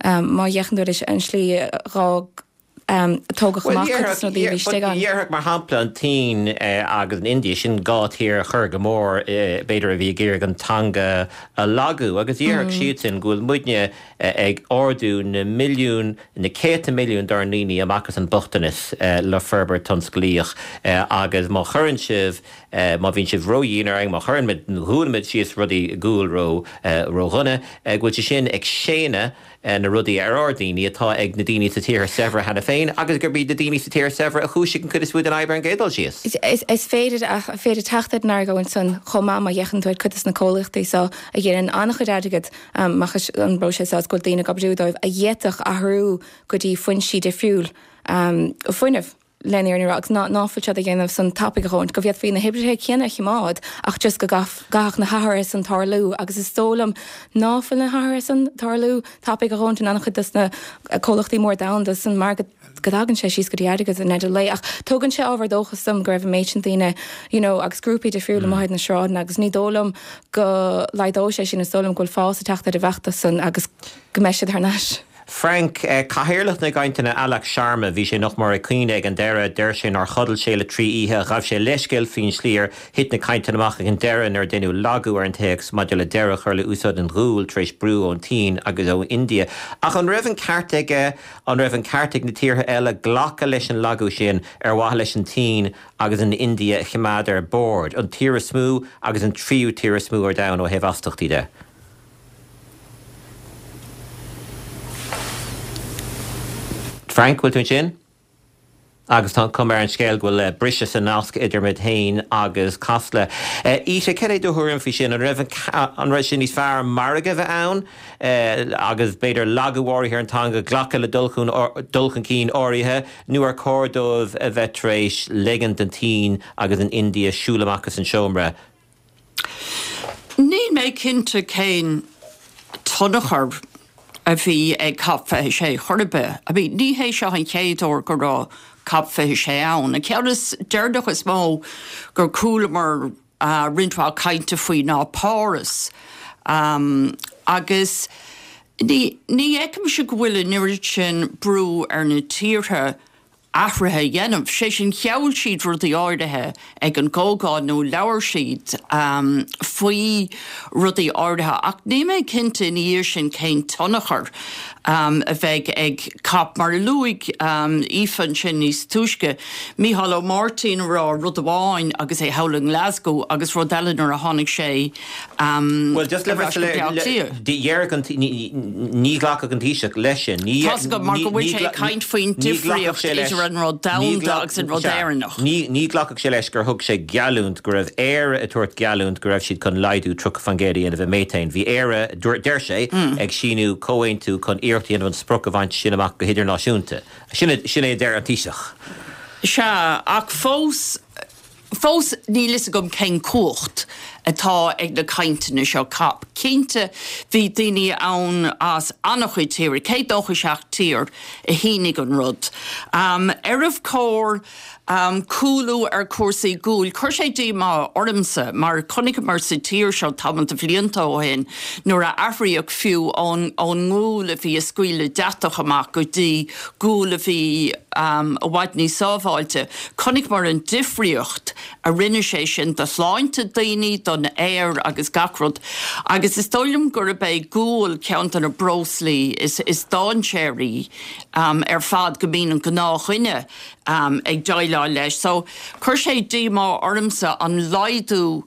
Má fhéachann tú ar an slí a dh'fhág, a tógadh amach cuid de na rudaí a bhí istigh ann. Déarfadh, mar shampla, an tSín agus an India, sin dhá thír a chuir go mór, b'fhéidir, a bhí ag iarraidh an teanga a lagú agus déarfadh siadsan go bhfuil muidne ag ardú na milliún, na céadta milliún dár ndaoine amach as an mbochtanas le forbairt tionsclaíoch agus má chuireann sibh, má bhíonn sibh ródhian orainn, má chuireann muid, dhúnann muid síos rudaí guail ró, ródhona, go bhfuil sé sin ag séanadh na rudaí ar ár ndaoine atá ag na daoine sa tíortha saibhre cheana féin agus gurb iad na daoine sa tíortha saibhre a chúisigh an chuid is mó den fhadhb ar an gcéad dul síos. Is féidir, féidir teacht ar an argóint san chomh maith má fhéachann tú ar cuid de na comhlachtaí seo a dhéanann an-chuid airgid amach as an bpróiseas seo is go bhfuil daoine ag oibriú dóibh a d'fhéadfadh athrú go dtí foinsí difriúil fuinnimh le fírinne a rá agus ná fuil siad a dhéanamh san tapaidh a dhóthain go bhféadfaí na hoibrithe céanna a choimeád ach just go gcaithfeadh na hathruithe san tarlú agus is dóigh liom ná fuil na hathruithe san tarlú tapaidh a dhóthain in an-chuid dos na comhlachtaí mór domhanda san mar go go dtagann sé síos go dtí airgead i ndeireadh lae ach tugann sé ábhar dóchais dom go raibh an méid sin daoine you know agus grúpaí difriúla amuigh ar na sráideanna agus ní dóigh liom go laghdóidh sé sin, is dóigh liom go bhfuil fás ag teacht ar an bhfeachtas san agus go mbeidh siad thar n-ais. Frank, Cathaoirleach na gcainteanna Alok Sharma, bhí sé nach mór ag caoineadh ag an deireadh, deir sé nár chodail sé le 3 oíche, ghabh sé leithscéal faoin slí ar Thit na cainteanna amach ag an deireadh nuair a deineadh lagú ar an téacs maidir le deireadh a chur le úsáid an ghuail tar éis brú ón tSín agus ó India. Ach an raibh an ceart aige? An raibh an ceart ag na tíortha eile glacadh leis an lagú sin ar mhaithe leis an tSín agus an India a choimeád ar bord, an tír is mó agus an tríú tír is mó ar domhan ó thaobh astachtaí de? Frank, bhfuil tú ansin? Agus tá an chuma ar an scéal go bhfuil briseadh sa nasc idir muid féin agus Casla. Ita, cad é do thuairim faoi sin? An raibh an raibh sé níos fearr margadh a bheith ann agus b'fhéidir lagú áirithe ar an teanga, glacadh le dul chun dul chun cinn áirithe, nó ar chóir dóibh a bheith tar éis ligean don tSín agus an India siúl amach as an seomra? Níl mé cinnte cén tionchar a bhí ag Cop 26 chor ar bith. I mean, ní hé seo an chéad uair go raibh Cop 26 ann. An ceann is deireanach is mó gur chualamar roinnt mhaith cainte faoi ná Páras. Agus ní ní fheicimse go bhfuil an oiread sin brú ar na tíortha. athruithe a dhéanamh. Sé sin, gheall siad rudaí áirithe ag an gcomhdháil nó labhair siad faoi rudaí áirithe ach níl mé cinnte ina dhiaidh sin cén tionchar a bheidh ag cop. Mar a luaigh Aoife ansin níos túisce, Mícheál Ó Máirtín a rá rud amháin agus é thall i nGlasgow agus rud eile nuair a tháinig sé Bhuel, just le bheith soiléir, déarfadh an, ní ghlacfadh an Taoiseach leis sin. Tá's agam, mar go bhfuil sé ag caint faoin difríocht idir an rud domhanda agus an rud Éireannach. Ní ghlacfadh sé leis gur thug sé geallúint go raibh Éire ag tabhairt geallúint go raibh siad chun laghdú 30% a dhéanamh i méatain. Bhí Éire, deir sé, ag síniú comhaontú chun iarracht a dhéanamh an sprioc a bhaint sin amach go hidirnáisiúnta. Sin é a deir an Taoiseach. Sea, ach fós, Fós níl fhios agam cén cumhacht atá ag na cainteanna seo cop. Cinnte bhí daoine ann as an-chuid tíortha, 197 tír a shínigh an rud. Arbh chóir cúlú ar chúrsaí guail? Chuir sé díomá ormsa mar chonaiceamar sa tír seo tamall de bhlianta ó shin nuair a athraíodh fiú ón ngual a bhí ag scaoileadh deatach amach go dtí gual a bhí i bhfad níos sábháilte. Chonaiceamar an difríocht a rinne sé sin do shláinte daoine, don aer agus gach rud. Agus is dóigh liom gurb é gual ceann de na breoslaí is dainséaraí ar fad go mbíonn an gnáthdhuine ag déileáil leis. So, chuir sé díomá ormsa an laghdú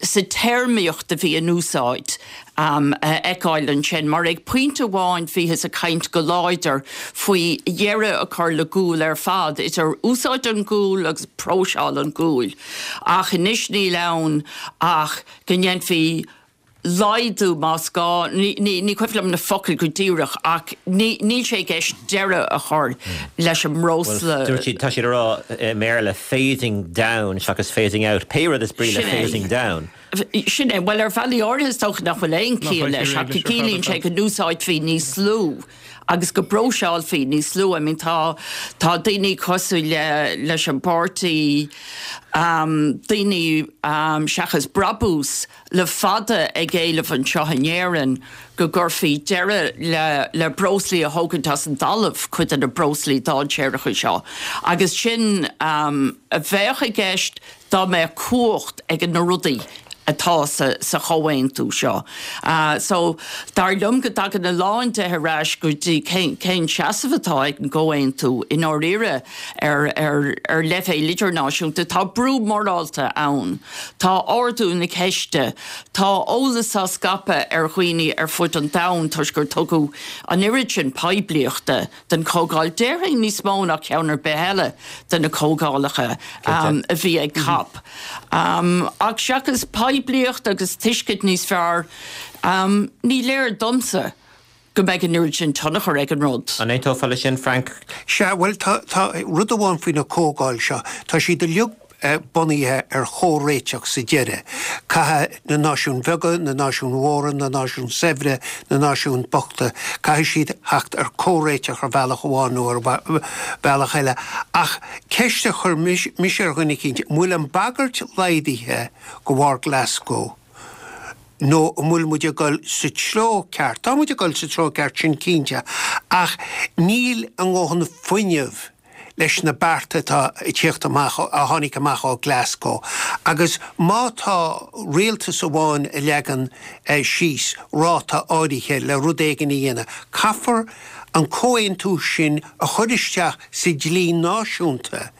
sa téarmaíocht a bhí in úsáid a fheiceáil ansin, mar ag pointe amháin bhíothas ag caint go láidir faoi dheireadh a chur le gual ar fad, idir úsáid an ghuail agus próiseáil an ghuail, ach anois níl ann ach go ndéanfaí laghdú más gá, ní cuimhin liom na focail go díreach, ach níl sé i gceist deireadh a chur leis an mbreosla. Bhuel, dúirt siad, tá siad ag rá i mBéarla phasing down seachas phasing out, pé rud is brí le phasing down. Sin é. Bhuel, ar bhealaí áirithe is dócha nach bhfuil aon chiall leis ach go gciallaíonn sé go n-úsáidfí níos lú agus go bpróiseálfaí níos lú. I mean tá, tá daoine cosúil le, leis an bpáirtí, daoine seachas brabús, le fada ag éileamh anseo in Éirinn go gcuirfí deireadh le le breoslaí a thógaint as an dtalamh, cuid de na breoslaí dainséaracha seo, agus sin a bheadh i gceist dá mbeadh cumhacht ag na rudaí atá sa sa chomhaontú seo. So, dar liom go dtagann a lán de ar ais go dtí cén cén seasamh atá ag an gcomhaontú i ndáiríre ar ar ar leibhéal idirnáisiúnta. Tá brú morálta ann. Tá ardú na ceiste, tá eolas á scaipeadh ar dhaoine ar fud an domhain toisc gur tugadh an oiread sin poiblíochta don chomhdháil, déarfainn níos mó ná ceann ar bith eile de na comhdhálacha a bhí ag cop. Ach seachas poiblíocht agus tuiscint níos fearr, ní léir domsa go mbeidh an oiread sin tionchar ag an rud. An aontófá leis sin, Frank? Sea, bhuel, tá, tá rud amháin faoi na comhdháil seo, tá siad uilig bunaithe ar chomhréiteach sa deireadh. Caithfidh na náisiúin bheaga, na náisiúin mhóra, na náisiúin saibhre, na náisiúin bochta, caithfidh siad theacht ar chomhréiteach ar bhealach amháin nó ar bhealach eile. Ach ceist a chuir mise ar dhuine eicínt, an bhfuil an bhagairt laghdaithe de bharr Glasgow? nó an bhfuil muid ag dul sa treo ceart? Tá muid ag dul sa treo ceart, sin cinnte, ach níl a ndóthain fuinnimh leis na bearta atá ag tíocht amach, a tháinig amach ó Glasgow. Agus má tá rialtas amháin a leagann síos ráta áirithe le rud éigin a dhéanamh, caithfear an comhaontú sin a chur isteach sa dlí náisiúnta.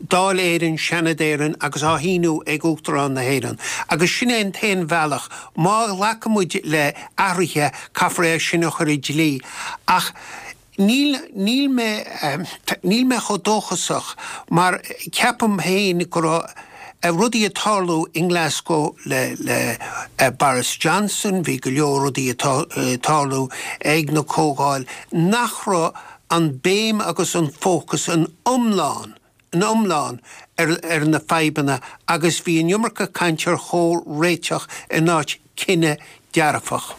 Dáil Éireann, Seanad Éireann agus á shíniú ag Uachtarán na hÉireann. Agus sin é an t-aon bhealach. Má ghlacann muid le athruithe, caithfear é sin a chur i dlí. Ach níl, níl mé, níl mé chomh dóchasach mar ceapaim féin go raibh rudaí ag tarlú i nGlasgow le, le Boris Johnson, bhí go leor rudaí ag tarlú ag na comhdháil nach raibh an béim agus an fócas an iomlán, an iomlán ar, ar na fadhbanna agus bhí an iomarca caint ar chomhréiteach in áit cinneadh dearfach.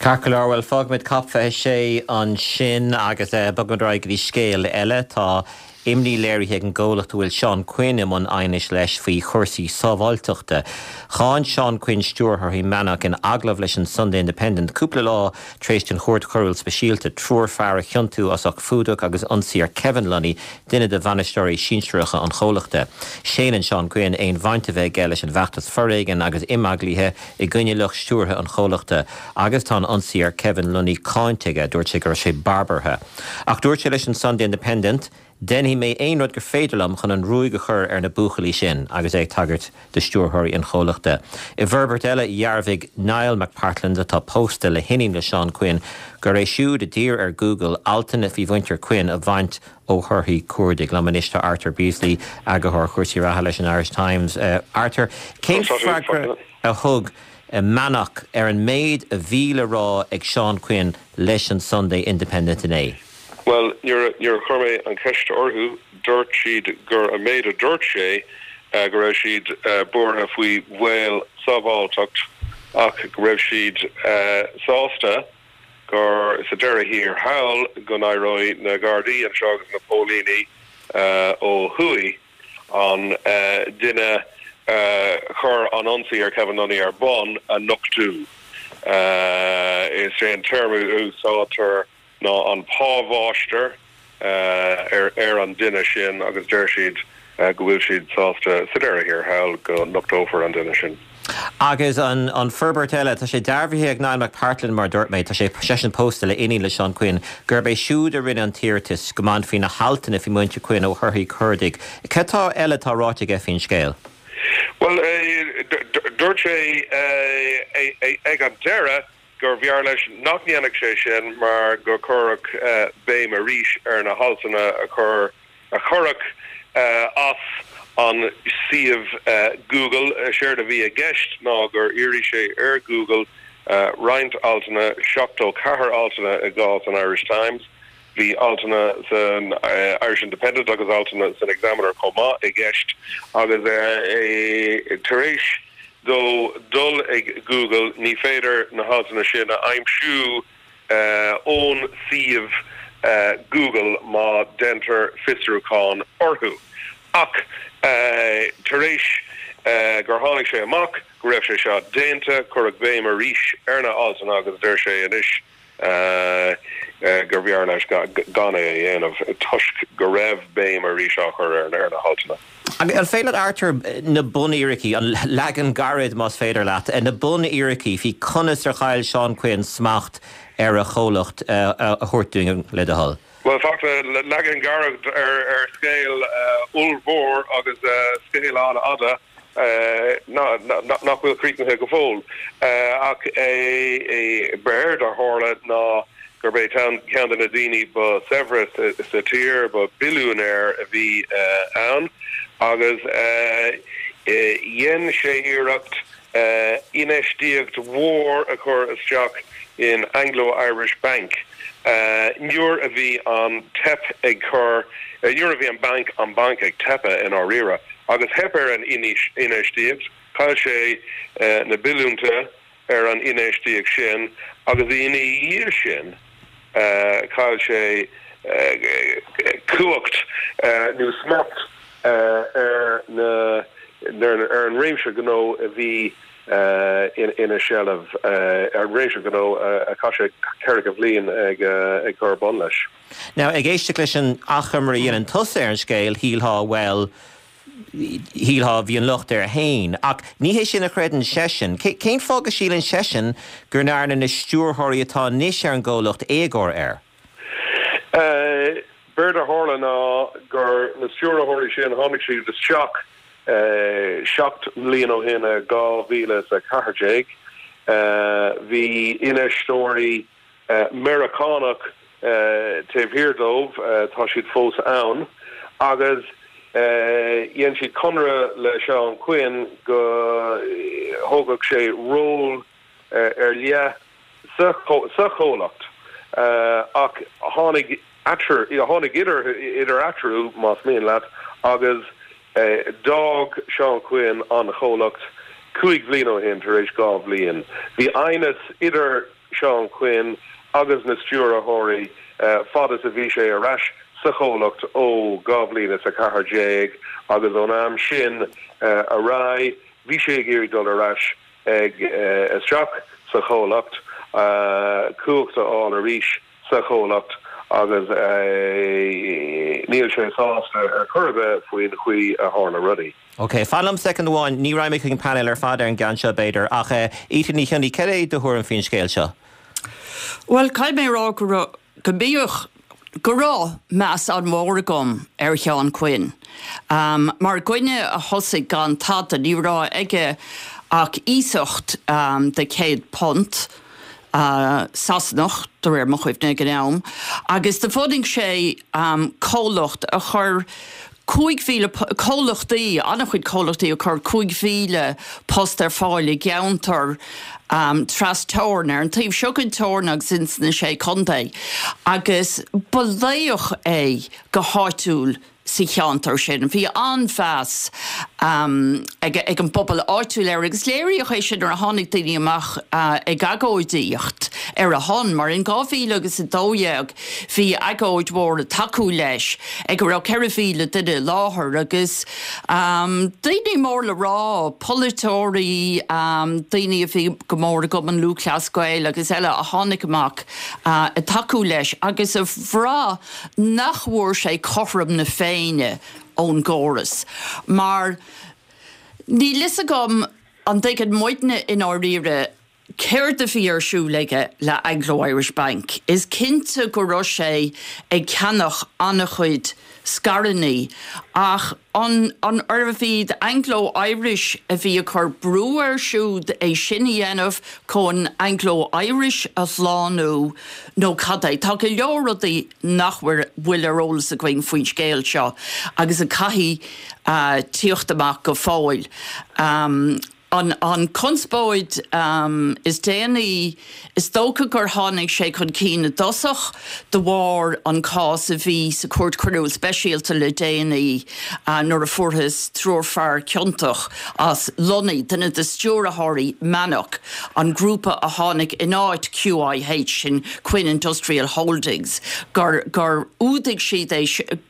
Ceart go leor, bhuel fágfaimid Cop 26 ansin agus bogfaimid ar aghaidh go dtí scéal eile. Tá. Imní léirithe ag an gcomhlacht a bhfuil Seán Quinn i mbun aighnis leis faoi chúrsaí sábháilteachta. Cháin Seán Quinn stiúrthóirí Mannok in agallamh leis an Sunday Independent cúpla lá tar éis don Chúirt Choiriúil Speisialta triúr fear a chiontú as ucht fuadach agus ionsaí ar Kevin Lunny, duine de bhainisteoirí sinsearacha an chomhlachta. Séanann Seán Quinn aon bhaint a bheith aige leis an bhfeachtas foréigin agus imeaglaithe i gcoinne lucht stiúrtha an chomhlachta agus tá an ionsaí ar Kevin Lunny cáinte aige, dúirt sé go raibh sé barbartha. Ach dúirt sé leis an Sunday Independent, Déanfaidh mé aon rud gur féidir liom chun an ruaig a chur ar na buachaillí sin, agus é ag tagairt do stiúrthóirí an chomhlachta. I bhforbairt eile, dhearbhaigh Niall McPartland, atá pósta le hiníon le Seán Quinn, gur é siúd a d'iarr ar Google altanna faoi mhuintir Quinn a bhaint ó thorthaí cuardaigh. Liom anois tá Arthur Beesley, eagarthóir cúrsaí reatha leis an Irish Times. Arthur, cén freagra a thug Mannok ar an méid a bhí le rá ag Seán Quinn leis an Sunday Independent inné? Bhuel, nuair a chuir mé an cheist orthu, dúirt siad gur an méid a dúirt sé go raibh siad buartha faoi bhaol sábháilteacht ach go raibh siad sásta gur sa deireadh thiar thall go n-éireoidh na Gardaí anseo agus na póilíní ó thuaidh an duine a chuir an ionsaí ar Kevin Lunny ar bun a nochtú. Is é an téarma a úsáidtear ná an pámháistir ar an duine sin agus deir siad go bhfuil siad sásta sa deireadh thiar thall go nochtófar an duine sin. Agus an forbairt eile, tá sé dearbhaithe ag Niall McPartland, mar a dúirt mé, tá sé seisean pósta le iníon le Seán Quinn, gurb é siúd a rinne an t-iarratas go mbainfí na haltanna faoi mhuintir Quinn ó thorthaí cuardaigh. Cad tá eile atá ráite aige faoin scéal? Bhuel, dúirt sé ag an deireadh gur bhfearr leis nach ndéanfadh sé sin mar go gcuirfeadh béim arís ar na haltanna a chur a cuireadh as an suíomh Google. Séard a bhí i gceist ná gur iarraidh sé ar Google roinnt altanna, 74 altanna i gcás an Irish Times, bhí altanna san Irish Independent agus altanna san Examiner chomh maith i gceist agus tar éis dó dul ag Google ní féidir na haltanna sin a aimsiú ón suíomh Google má deintear fiosrúchán orthu. Ach tar éis gur tháinig sé amach go raibh sé seo déanta, cuireadh béim arís ar na haltanna agus deir sé anois gur bhfearr leis gan é a dhéanamh toisc go raibh béim arís á chur ar na haltanna. An féidir leat, Arthur, na bunfhíricí, an leagan gairid más féidir leat, na bunfhíricí faoi conas ar chaill Seán Quinn smacht ar a chomhlacht a thabhairt dúinn, le do thoil? Bhuel, Fachtna, leagan gairid ar scéal ollmhór agus scéal an-fhada. nach bhfuil críochnaithe go fóill. Ach b'éard a tharla ná gurb é ceann de na daoine ba saibhre sa tír, ba billiúinéir a bhí ann agus dhein sé iarracht infheistíocht mhór a chur isteach in Anglo Irish Bank nuair a bhí an teip ag cur, nuair a bhí an banc, an banc ag teipeadh i ndáiríre. Agus theip ar an infheistíocht, chaill sé na billiúnta ar an infheistíocht sin agus ina dhiaidh sin chaill sé cumhacht nó smacht ar na ar an réimse gnó a bhí ina sheilbh, ar an réimse gnó a chaith sé ceathracha bliain ag cur bun leis. Now, ag éisteacht leis an achoimre a dhéanann tusa ar an scéal, shílfeá, bhuel, shílfeá, bhí an locht air fhéin. Ach ní hé sin a chreideann seisean. Cén fáth go síleann seisean go ndearna na stiúrthóirí atá anois ar an gcomhlacht éagóir air? B'éard a tharla ná gur na stiúrthóirí sin, tháinig siad isteach 7 mbliana ó shin i 2014. Bhí infheisteoirí Meiriceánach taobh thiar dóibh, tá siad fós ann, agus dhein siad conradh le Seán Quinn go thógfadh sé ról ar leith sa chomhlacht ach tháinig tháinig idir idir eatarthu, más mian leat, agus D'fhág Seán Quinn an chomhlacht 5 bhliain ó shin tar éis 2 bhliain. Bhí aighneas idir Seán Quinn agus na stiúrthóirí fad is a bhí sé ar ais. sa chomhlacht ó 2014 agus ón am sin ar aghaidh bhí sé ag iarraidh dul ar ais ag isteach sa chomhlacht, cumhacht a fháil arís sa chomhlacht agus níl sé sásta ar chor ar bith faoin chaoi a tharla rudaí. Ok, fan liom soicind amháin, ní raghaidh mé chuig an painéal ar fad ar an gceann seo b'fhéidir, ach Ita Ní Chionnaith, cad é do thuairim faoin scéal seo? Bhuel, caithfidh mé a rá go raibh, go mbíodh, go raibh meas an-mhór agam ar Sheán Quinn. Mar dhuine a thosaigh gan tada, ní raibh aige ach iasacht de £100, Sasanach, de réir mo chuimhne ag an am, agus do bhunaigh sé comhlacht a chuir 5,000, comhlachtaí, an-chuid comhlachtaí a chuir 5,000 post ar fáil i gceantar tras-teorann, ar an taobh seo den teorainn agus ins na Sé Chontae, agus ba laoch é go háitiúil sa cheantar sin. Bhí an-mheas ag an bpobal áitiúil air agus léiríodh é sin nuair a tháinig daoine amach ag agóidíocht ar a shon, mar in 2012 bhí agóid mhór ag tacú leis ag a raibh 4,000 duine i láthair agus daoine mór le rá, polaiteoirí, daoine a bhí go mór i gCumann Lúthchleas Gael agus eile a tháinig amach ag tacú leis agus a bhraith nach bhfuair sé cothrom na Féinne ón gcóras mar níl fhios agam an dtuigeann muidne i ndáiríre céard a bhí ar siúl aige le Anglo Irish Bank. Is cinnte go raibh sé ag ceannach an-chuid scaireannaí ach an an arbh iad Anglo Irish a bhí ag cur brú air siúd é sin a dhéanamh chun Anglo Irish a shlánú nó cad é? Tá go leor rudaí nach bhfuil ar eolas againn faoin scéal seo agus a caithfidh tíocht amach go fóill. An conspóid is déanaí, is dócha gur tháinig sé chun cinn i dtosach de bharr an cás a bhí sa Chúirt Choiriúil Speisialta le déanaí nuair a fuarthas triúr fear ciontach as Lunny, duine de stiúrthóirí Mannok, an grúpa a tháinig in áit QIH, sin Quinn Industrial Holdings, gur gur fhuadaigh siad é,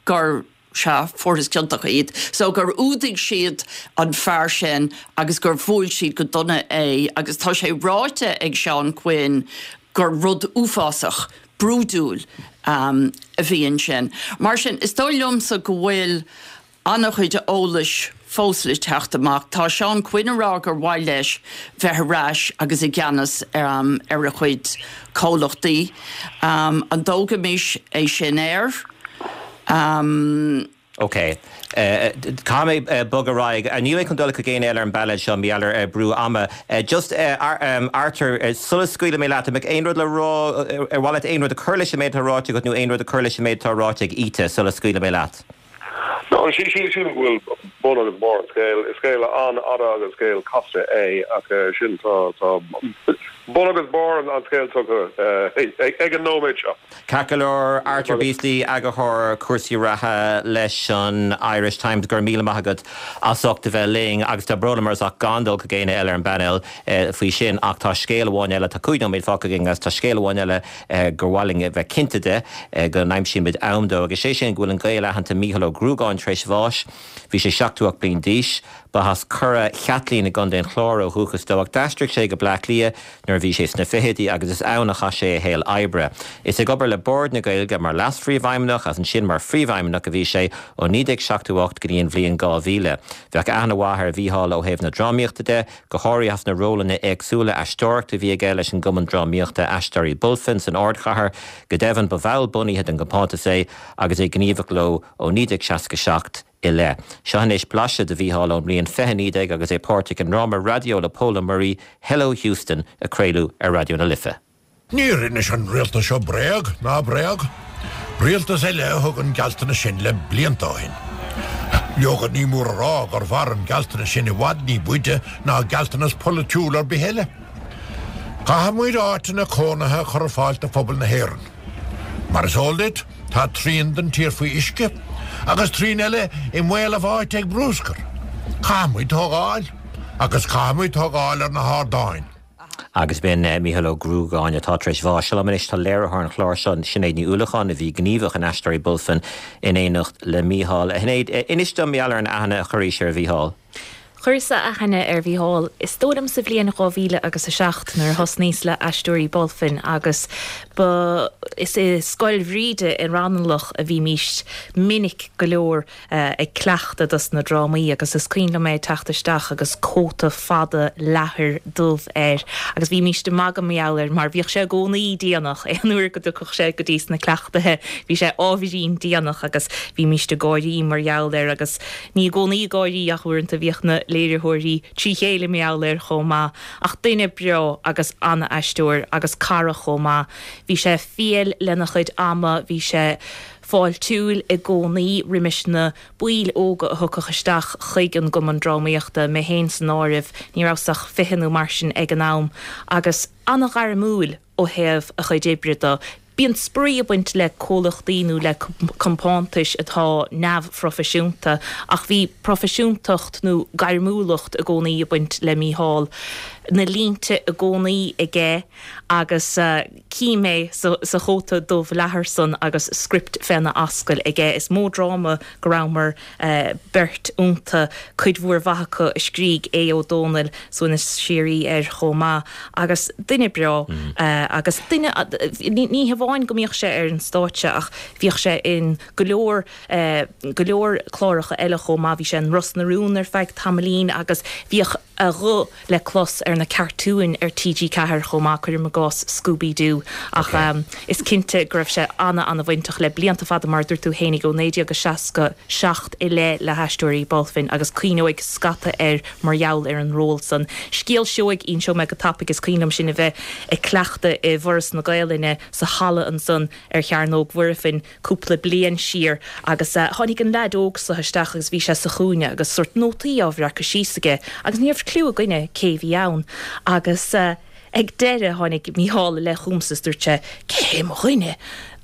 gur, sea, fuarthas ciontach iad, so gur fhuadaigh siad an fear sin agus gur bhuail siad go dona é agus tá sé ráite ag Seán Quinn gur rud uafásach, brúidiúil a bhí ansin. Mar sin, is dóigh liomsa go bhfuil an-chuid eolais fós le teacht amach. Tá Seán Quinn ag rá gur mhaith leis bheith ar ais agus i gceannas ar a chuid comhlachtaí. An dtógfaimis é sin air? OK. Caithfidh mé bogadh ar aghaidh. Níl mé chun dul chuig éinne eile ar an bpainéal seo, mar gheall ar brú ama. Just, Arthur, sula scaoilfidh mé leat, an mbeadh aon rud le rá, ar mhaith leat aon rud a chur leis an méid atá ráite agat nó aon rud a chur leis an méid atá ráite ag Ita sula scaoilfidh mé leat? No, sílim go bhfuil bun agus barr an scéil. Is scéal an-fhada agus scéal casta é ach sin tá bun agus barr an scéil tugtha ag an nóiméad seo. Ceart go leor, Arthur Beesley, Eagarthóir Cúrsaí Reatha leis an Irish Times, go raibh míle maith agat as ucht a bheith linn agus tá brón orm as gan dul chuig éinne eile ar an bpainéal faoi sin ach tá scéal amháin eile, tá 5 nóiméad fágtha againn agus tá scéal amháin eile gur mhaith linn a bheith cinnte de go n-aimsímid am dó, agus sé sin go bhfuil an Gael aitheanta Mícheál Ó Gruagáin tar éis bháis. Bhí sé 78 bliain d'aois. Ba as Cora Chaitlín i gContae an Chláir ó dhúchas dó ach d'aistrigh sé go Bleá Cliath nuair a bhí sé sna fichidí agus is ann a chaith sé a shaol oibre. Is ag obair le Bord na Gaeilge mar Leas-Phríomhfheidhmeannach agus ansin mar Phríomhfheidhmeannach a bhí sé ó 1978 go dtí an bhliain 2000. Bheadh aithne mhaith ar Mhícheál ó thaobh na drámaíochta de, go háirithe as na rólanna éagsúla aisteoireachta a bhí aige leis an gcumann drámaíochta Aisteoirí Bulfin san ardchathair. Go deimhin, ba bhall bunaithe den gcompántas é agus é gníomhach leo ó 1967 i leith. Seo anois blaiseadh de Mhícheál ón mbliain 2019 agus é páirteach i ndráma raidió le Pól Ó Muirí, Hello Houston, a craoladh ar Raidió na Life. Níor inis an rialtas seo bréag ná bréag. Rialtas eile a thug an gealltanas sin le blianta ó shin. Leoga, ní mór a rá gur mhair an gealltanas sin i bhfad ní b'fhaide ná gealltanas polaitiúil ar bith eile. Caithfidh muid áiteanna cónaithe a chur ar fáil do phobal na hÉireann. Mar is eol duit, tá trian den tír faoi uisce, agus trian eile i mbaol a bháite ag bruscar. Caithfidh muid tógáil, agus caithfidh muid tógáil ar na hardáin. Agus b'in Mícheál Ó Gruagáin atá tar éis bháis. Seo liom anois tá léiritheoir an chláir seo, Sinéad Ní Uallacháin, a bhí gníomhach in Aisteoirí Bulfin in éineacht le Mícheál. A Shinéad, inis dom mar gheall ar an aithne a chuirís ar Mhícheál. Chuireas-sa aithne ar Mhícheál, is dóigh liom sa bhliain 2000 agus 7 nuair a thosnaíos le Aisteoirí Bulfin agus ba is i Scoil Bhríde i Raghnallach a bhímís minic go leor ag cleachtadh dos na drámaí agus is cuimhin liom é ag teacht isteach agus cóta fada leathair dubh air agus bhímíst ag magadh mar gheall air mar bhíodh sé i gcónaí déanach, aon uair go dtiocfadh sé go dtí sna cleachtaithe bhí sé ábhairín déanach agus bhímíst ag gáirí mar gheall air agus ní i gcónaí ag gáirí ach uaireanta bhíodh na léiritheoirí trí chéile mar gheall air chomh maith ach duine breá agus ana-aisteoir agus cara chomh maith. Bhí sé fial lena chuid ama, bhí sé. fáiltiúil i gcónaí roimis na baill óga a thiocfadh isteach chuig an gCumann Drámaíochta, mé féin san áireamh, ní rabhas ach 20 nó mar sin ag an am, agus an-ghairmiúil ó thaobh a chuid oibre de. Bíonn spraoi ag baint le comhlachtaí nó le compántais atá neamhphroifisiúnta, ach bhí proifisiúntacht nó gairmiúlacht i gcónaí ag baint le Mícheál. Na línte i gcónaí aige agus. Cím é sa chóta dubh leathair san agus script féna ascaill aige. Is mó dráma go rabhamar beirt iontu, cuid mhór mhaith acu a scrígh Aodh Ó Dónaill, suaimhneas síoraí air chomh maith. Agus duine breá agus duine, ní hamháin go mbíodh sé ar an stáitse ach bhíodh sé in go leor, go leor cláracha eile chomh maith. Bhí sé in Ros na Rún ar feadh tamaillín agus bhíodh a ghuth le clos ar na cartúin ar TG4 chomh maith, cuirim i gcás Scooby Doo. Ach is cinnte go raibh sé ana-ana-bhainteach le blianta fada, mar a dúirt tú fhéinig, ó 1967 i leith le hAisteoirí Bulfin agus cuimhneoidh scata air mar gheall ar an ról san. Scéal seoigh, inseoidh mé go tapaidh, is cuimhin liom sinn a bheith ag cleachtadh i bhForas na Gaelainne sa halla ansan ar Chearnóg Mhuirfean, cúpla bliain siar agus tháinig an leaid óg so isteach agus bhí sé sa chúinne agus sórt nótaí á bhreacadh síos aige agus ní raibh cliú againne cé bhí ann agus ag deireadh tháinig Mícheál i leith chugamsa is dúirt sé cé hé mo dhuine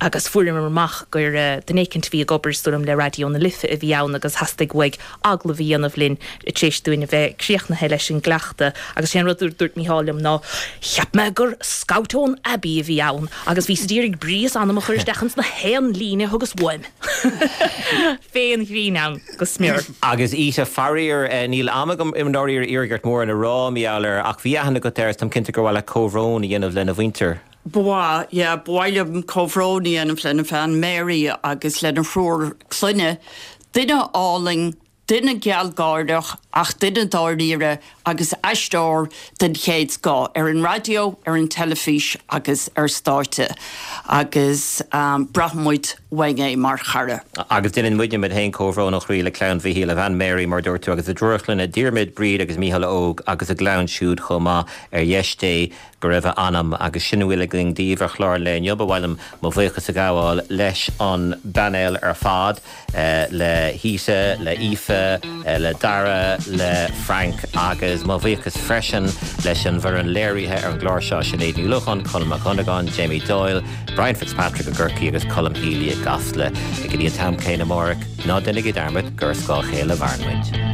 agus fuaireamar amach gur duine éicint a bhí ag obair is dóigh liom le Raidió na Life a bhí ann agus theastaigh uaidh agallamh a dhéanamh linn tar éis dúinn a bheith críochnaithe leis an gcleachtadh agus sé an rud a dúirt Mícheál liom ná cheap mé gur scout ón Abbey a bhí ann agus bhíos ag iarraidh brí is anam a chur isteach ins na haon líne a thugas uaim. Féin ghrinn ann go smior. Agus Ita, faraor, níl am agam i ndáiríre iarraidh ort mórán a rá mar gheall air ach bhí aithne agat air is táim cinnte gur mhaith leat comhbhrón a dhéanamh lena mhuintir. Ba mhaith, yeah, ba mhaith liom comhbhrón a dhéanamh lena bhean Mary agus lena thriúr clainne. Duine álainn, duine gealgháireach ach duine dáiríre agus aisteoir den chéad scoth ar an raidió, ar an teilifís agus ar stáitse agus braithfidh muid uainn é mar chara. Agus déanann muidne muid féin comhbhrón ó chroí le clann Mhichíl, a bhean Mary mar a dúirt tú agus a dtriúr clainne, Diarmuid, Bríd agus Mícheál Óg agus a gclann siúd chomh maith ar dheis Dé go raibh a anam agus sin a bhfuil againn daoibh ar chlár an lae inniu. Ba mhaith liom mo bhuíochas a ghabháil leis an bpainéal ar fad, le hIta, le Aoife, le Dara, le Frank agus mo bhuíochas freisin leis an bhfoireann léirithe ar an gclár seo, Sinéad Ní Uallacháin, Colm Mac Dhonnagáin, Jamie Doyle, Brian Fitzpatrick i gCorcaigh agus Colm Healy i gCasla. Go dtí an t-am céanna amárach, ná déanaigí dearmad gur ar scáth a chéile a mhaireann muid.